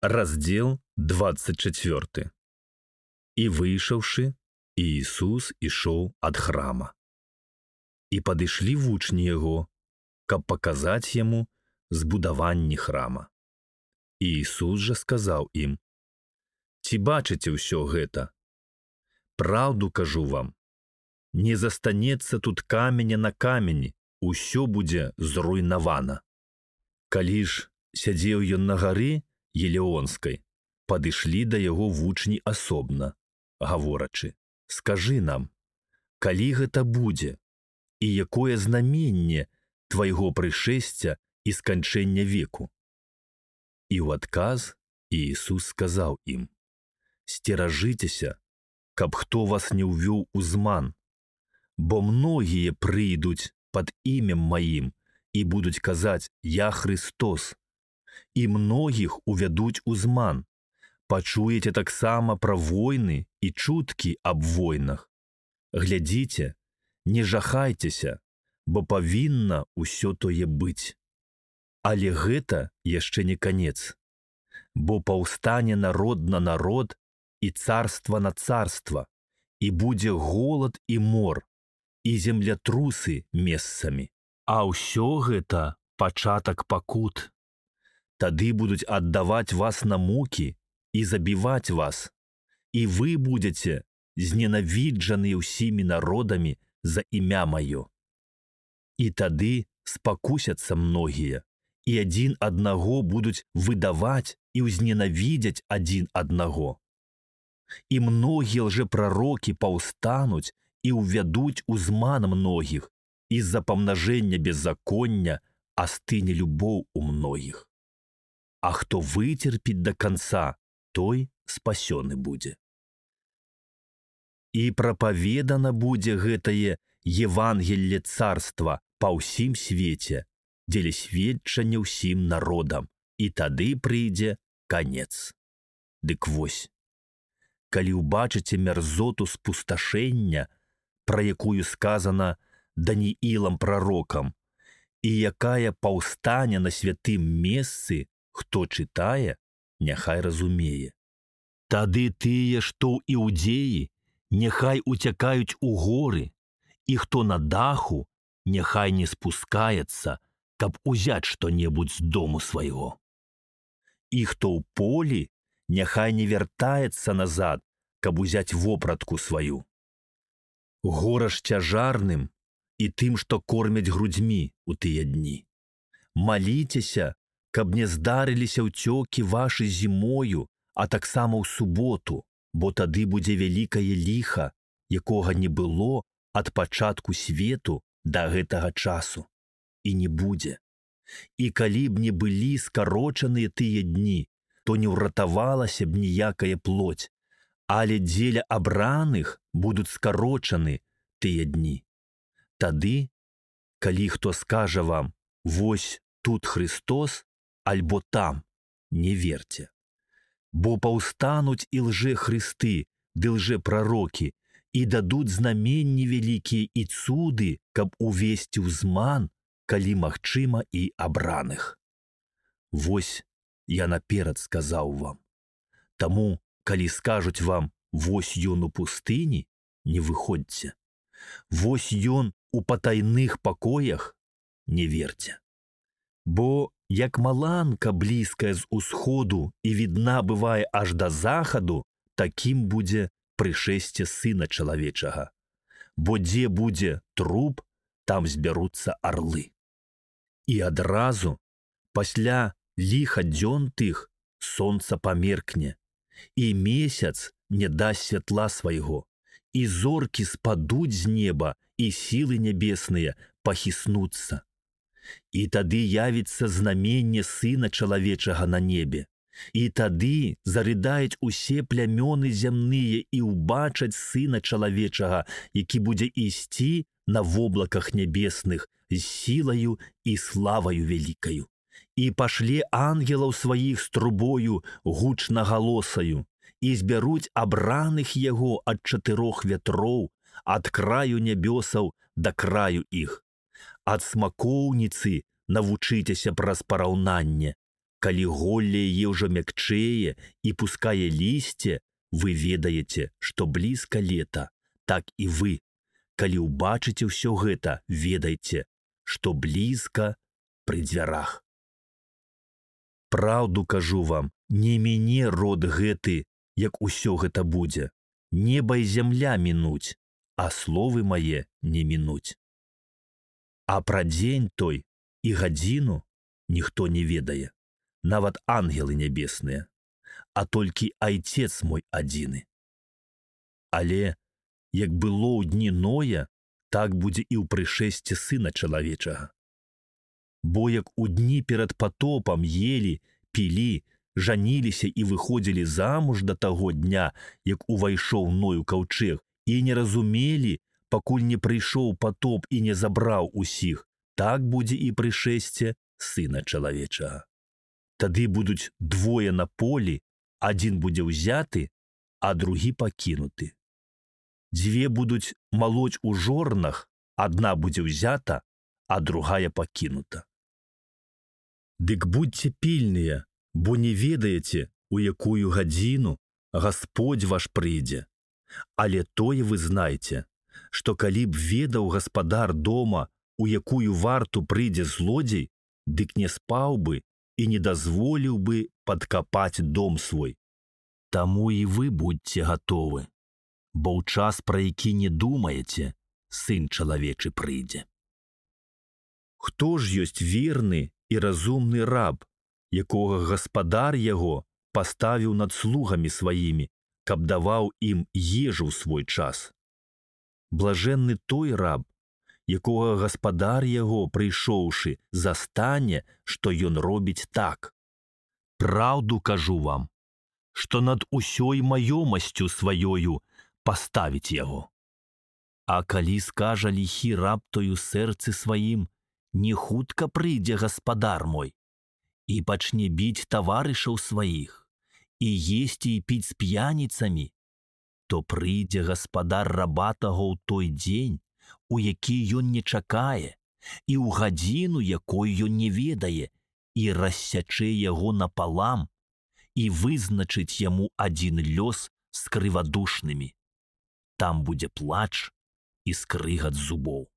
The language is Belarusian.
Раздел 24. І выйшаўшы, Іісус ішоў ад храма. І падышлі вучні яго, каб паказаць яму збудаванне храма. Іісус жа сказаў ім: «Ці бачыце ўсё гэта? Праўду кажу вам, не застанецца тут каменя на камені, усё будзе зруйнавана». Калі ж сядзеў ён на гары Елеонскай, падышлі да яго вучні асобна, гаворачы: «Скажы нам, калі гэта будзе, і якое знаменне твайго прышэсця і сканчэння веку?» І ў адказ Іісус сказаў ім: «Сцеражыцеся, каб хто вас не ўвёў у зман, бо многія прыйдуць пад імем маім і будуць казаць: «Я Христос», і многіх увядуць у зман. Пачуеце таксама пра войны і чуткі аб войнах. Глядзіце, не жахайцеся, бо павінна ўсё тое быць. Але гэта яшчэ не канец, бо паўстане народ на народ і царства на царства, і будзе голад і мор, і землятрусы месцамі. А ўсё гэта пачатак пакут. Тады будуць аддаваць вас на мукі і забіваць вас, і вы будзеце зненавіджаны ўсімі народамі за імя маё. І тады спакусяцца многія, і адзін аднаго будуць выдаваць і ўзненавідзяць адзін аднаго. І многія лжэпрарокі паўстануць і ўвядуць у зман многіх, і з-за памнажэння беззаконня астыне любоў у многіх. А хто выцерпіць да канца, той спасёны будзе. І прапаведана будзе гэтае Евангелле царства па ўсім свеце, дзеля сведчання ўсім народам, і тады прыйдзе канец. Дык вось, калі ўбачыце мярзоту спусташэння, пра якую сказана Даніілам прарокам, і якая паўстане на святым месцы, хто чытае, няхай разумее. Тады тыя, што ў Іудзеі, няхай уцякаюць у горы, і хто на даху, няхай не спускаецца, каб узяць што-небудзь з дому свайго. І хто ў полі, няхай не вяртаецца назад, каб узяць вопратку сваю. Гораш цяжарным і тым, што кормяць грудзьмі ў тыя дні. Маліцеся, каб не здарыліся ўцёкі вашы зімою, а таксама ў суботу, бо тады будзе вялікае ліха, якога не было ад пачатку свету да гэтага часу, і не будзе. І калі б не былі скарочаныя тыя дні, то не ўратавалася б ніякая плоть, але дзеля абраных будуць скарочаны тыя дні. Тады, калі хто скажа вам: «Вось тут Христос», альбо там, не верце. Бо паўстануць і лжэхрысты, ды лжэпрарокі, і дадуць знаменні вялікія і цуды, каб увесці ў зман, калі магчыма, і абраных. Вось я наперад сказаў вам. Таму, калі скажуць вам: «Вось ён у пустыні», не выходзьце. «Вось ён у патайных пакоях», не верце. Бо як маланка блізкая з усходу і відна бывае аж да захаду, такім будзе прышэсце Сына Чалавечага. Бо дзе будзе труп, там збяруцца арлы. І адразу, пасля ліха дзён тых, сонца памеркне, і месяц не дасць святла свайго, і зоркі спадуць з неба, і сілы нябесныя пахіснуцца. І тады явіцца знаменне Сына Чалавечага на небе. І тады зарыдаюць усе плямёны зямныя і ўбачаць Сына Чалавечага, які будзе ісці на воблаках нябесных з сілаю і славаю вялікаю. І пашле ангелаў сваіх з трубою гучнагалосаю, і збяруць абраных яго ад 4 вятроў, ад краю нябёсаў да краю іх. Ад смакоўніцы навучыцеся праз параўнанне, Калі голле яе ўжо мякчэе і пускае лісце, вы ведаеце, што блізка лета. Так і вы, калі ўбачыце ўсё гэта, ведайце, што блізка пры дзвярах. Праўду кажу вам, не міне род гэты, як усё гэта будзе. Неба і зямля мінуць, а словы мае не мінуць. А пра дзень той і гадзіну ніхто не ведае, нават ангелы нябесныя, а толькі Айцец мой адзіны. Але, як было ў дні Ноя, так будзе і ў прышэсці Сына Чалавечага. Бо як у дні перад патопам елі, пілі, жаніліся і выходзілі замуж да таго дня, як увайшоў Ной у каўчэг, і не разумелі, пакуль не прыйшоў патоп і не забраў усіх, так будзе і прышэсце Сына Чалавечага. Тады будуць двое на полі, адзін будзе ўзяты, а другі пакінуты. Дзве будуць малоць у жорнах, адна будзе ўзята, а другая пакінута. Дык будьце пільныя, бо не ведаеце, у якую гадзіну Гасподзь ваш прыйдзе. Але тое вы знайце, што калі б ведаў гаспадар дома, у якую варту прыйдзе злодзей, дык не спаў бы і не дазволіў бы падкапаць дом свой. Таму і вы будьце гатовы, бо ў час, пра які не думаеце, Сын Чалавечы прыйдзе. Хто ж ёсць верны і разумны раб, якога гаспадар яго паставіў над слугамі сваімі, каб даваў ім ежу ў свой час? Блажэнны той раб, якога гаспадар яго, прыйшоўшы, застане, што ён робіць так. Праўду кажу вам, што над усёй маёмасцю сваёю паставіць яго. А калі скажа ліхі раб той у сэрцы сваім, не хутка прыйдзе гаспадар мой, і пачне біць таварышаў сваіх, і есці і піць з п'яніцамі, то прыйдзе гаспадар раба таго ў той дзень, у які ён не чакае, і ў гадзіну, якой ён не ведае, і рассячэ яго напалам, і вызначыць яму адзін лёс з крывадушнымі. Там будзе плач і скрыгат зубоў.